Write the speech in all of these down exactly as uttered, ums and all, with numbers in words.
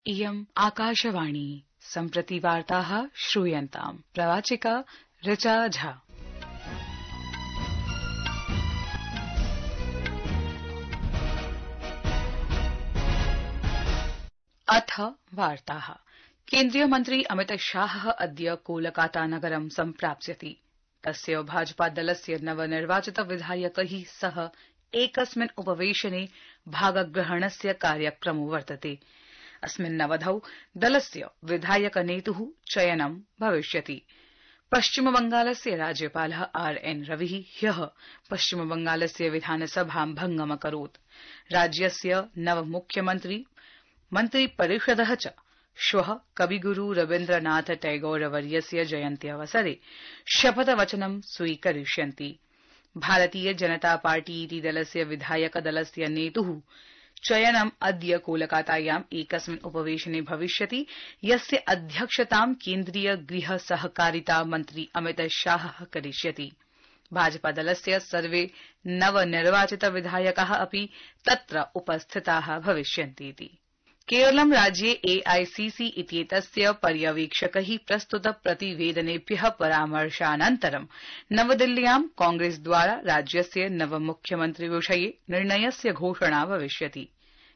इयम् आकाशवाणी सम्प्रति वार्ताः श्रूयन्ताम् प्रवाचिका ऋचा झा। अथ वार्ताः। केन्द्रीय मन्त्री अमित शाह अद्य कोलकाता नगरं सम्प्राप्स्यति। तस्य भाजपा दलस्य नवनिर्वाचित विधायकै सह एकस्मिन् उपवेशने भागग्रहणस्य कार्यक्रमो वर्तते। अस्मिन्नवधौ दलस्य विधायक नेतुः चयनं भविष्यति। पश्चिमबंगालस्य राज्यपालः आर एन रविः ह्यः पश्चिमबंगालस्य विधानसभां भंगमकरोत्। राज्यस्य नवमुख्यमन्त्री मन्त्रिपरिषदः च श्वः कविगुरु रवीन्द्रनाथ टैगोरवर्यस्य जयन्त्यवसरे शपथवचनं स्वीकरिष्यन्ति। भारतीय जनता पार्टी इति दलस्य विधायक दलस्य नेतुः चयनम् अद्य कोलकातायाम् एकस्मिन् उपवेशने भविष्यति, यस्य अध्यक्षतां केन्द्रीय गृह सहकारिता मन्त्री अमित शाहः करिष्यति। भाजपा दलस्य सर्वे नवनिर्वाचित विधायकाः अपि तत्र उपस्थिताः भविष्यन्तीति। केरलं राज्ये एआईसीसी इत्येतस्य पर्यवेक्षकै प्रस्तुत प्रतिवेदनेभ्यः परामर्शानन्तरं नवदिल्ल्यां कांग्रेसद्वारा राज्यस्य नवमुख्यमन्त्रिविषये निर्णयस्य घोषणा भविष्यति।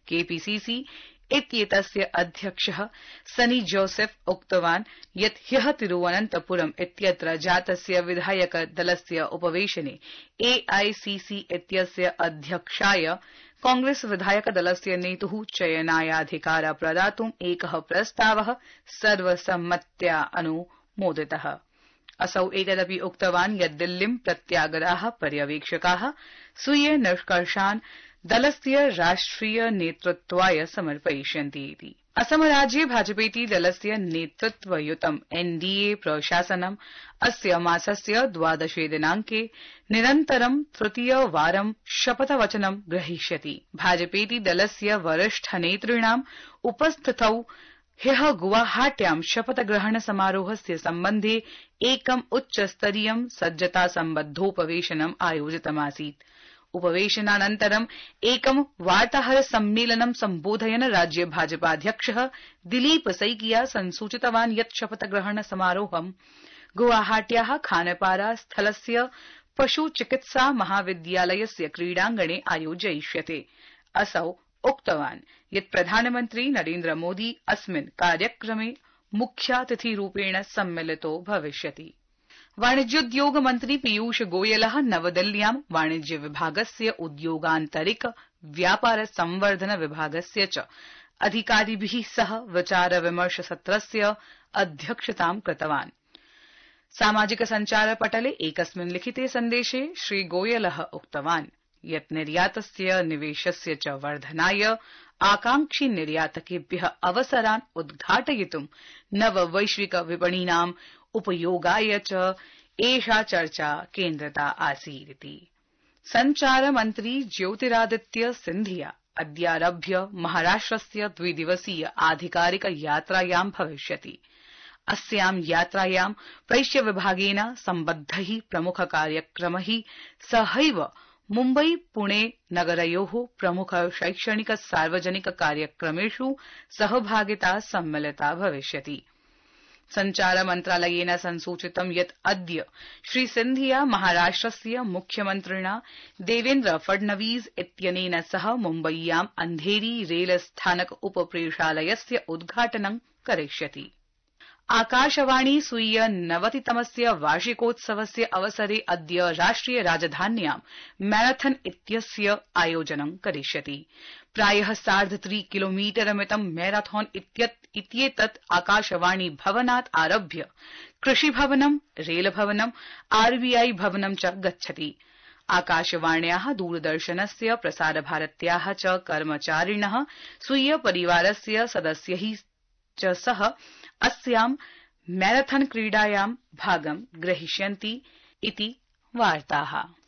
केपीसीसी इत्येतस्य अध्यक्षः सनी जोसेफ उक्तवान् यत् ह्यः तिरुवनन्तपुरम् इत्यत्र जातस्य विधायक दलस्य उपवेशने एआईसीसी इत्यस्य अध्यक्षाय कांग्रेस विधायक दलस्य नेतुः चयनायाधिकार प्रदातुम् एकः प्रस्तावः सर्वसम्मत्या अनुमोदितः। असौ एतदपि उक्तवान् यत् दिल्लीं प्रत्यागताः पर्यवेक्षकाः स्वीय निष्कर्षान् दलस्य राष्ट्रिय नेतृत्वाय समर्पयिष्यन्ति इति। असम राज्ये भाजपेति दलस्य नेतृत्वयुतम् एनडीए प्रशासनम् अस्य मासस्य द्वादशे दिनांके निरन्तरं तृतीयवारं शपथवचनं ग्रहीष्यति। भाजपेति दलस्य वरिष्ठ नेतॄणाम् उपस्थितौ ह्यः गुवाहाट्यां शपथग्रहण समारोहस्य सम्बन्धे एकम् उच्चस्तरीयं सज्जता सम्बद्धोपवेशनम् आयोजितमासीत्। उपवेशनानन्तरं एकं वार्ताहर सम्मेलनं सम्बोधयन् राज्य भाजपाध्यक्षः दिलीप सैकिया संसूचितवान् यत् शपथग्रहण समारोहं गुवाहाट्याः खानपारा स्थलस्य पशु चिकित्सा महाविद्यालयस्य क्रीडाङ्गणे आयोजयिष्यते। असौ उक्तवान् यत् प्रधानमन्त्री नरेन्द्र मोदी अस्मिन् कार्यक्रमे मुख्यातिथिरूपेण सम्मिलितो भविष्यति। वाणिज्योद्योग मन्त्री पीयूष गोयलः नवदिल्ल्यां वाणिज्य विभागस्य उद्योगान्तरिक व्यापार संवर्धन विभागस्य च अधिकारिभिः सह विचार विमर्श सत्रस्य अध्यक्षतां कृतवान्। सामाजिक सञ्चार पटले एकस्मिन् लिखिते सन्देशे श्रीगोयलः उक्तवान् यत् निर्यातस्य निवेशस्य च वर्धनाय आकांक्षी निर्यातकेभ्यः अवसरान् उद्घाटयितुं नववैश्विक विपणीनां उपयोगाय च एषा चर्चा केन्द्रिता आसीदिति। सञ्चार मन्त्री ज्योतिरादित्य सिन्धिया अद्यारभ्य महाराष्ट्रस्य द्विदिवसीय आधिकारिक यात्रायां भविष्यति। अस्यां यात्रायां प्रैष्य विभागेन सम्बद्धैः प्रमुख कार्यक्रमैः सहैव मुम्बई पुणे नगरयोः प्रमुख शैक्षणिक सार्वजनिक कार्यक्रमेषु सहभागिता सम्मिलिता भविष्यति। सञ्चार मन्त्रालयेन संसूचितं यत् अद्य श्री सिन्धिया महाराष्ट्रस्य मुख्यमन्त्रिणा देवेन्द्र फडणवीस इत्यनेन सह मुम्बय्यां अन्धेरी रेल स्थानक उपप्रेषालयस्य उद्घाटनं करिष्यति। आकाशवाणी स्वीय नवतितमस्य वार्षिकोत्सवस्य अवसरे अद्य राष्ट्रिय राजधान्यां मैराथन इत्यस्य आयोजनं करिष्यति। प्रायः सार्धत्रि किलोमीटरमितं मैराथन इत्येतत् आकाशवाणी भवनात् आरभ्य कृषिभवनं, रेलभवनं, आरबीआई भवनं च गच्छति। आकाशवाण्याः दूरदर्शनस्य प्रसारभारत्याः च कर्मचारिणः स्वीय परिवारस्य सदस्यैः च सह अस्यां मैराथन क्रीडायां भागं ग्रहीष्यन्ति इति वार्ताः।